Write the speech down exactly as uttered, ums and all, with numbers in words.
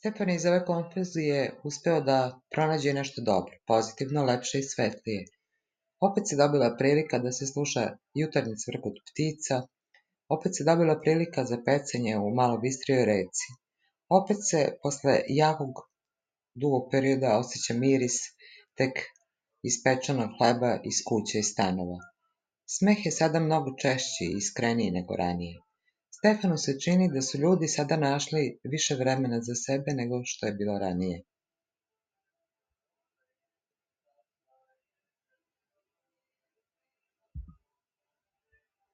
Stefan je iz ove konfuzije uspeo da pronađe nešto dobro, pozitivno, lepše i svetlije. Opet se dobila prilika da se sluša jutarnji cvrkot ptica, opet se dobila prilika za pecanje u malo bistrijoj reci. Opet se, posle jakog, dugog perioda, osjeća miris tek ispečenog hleba iz kuće i stanova. Smeh je sada mnogo češći i iskreniji nego ranije. Stefanu se čini da su ljudi sada našli više vremena za sebe nego što je bilo ranije.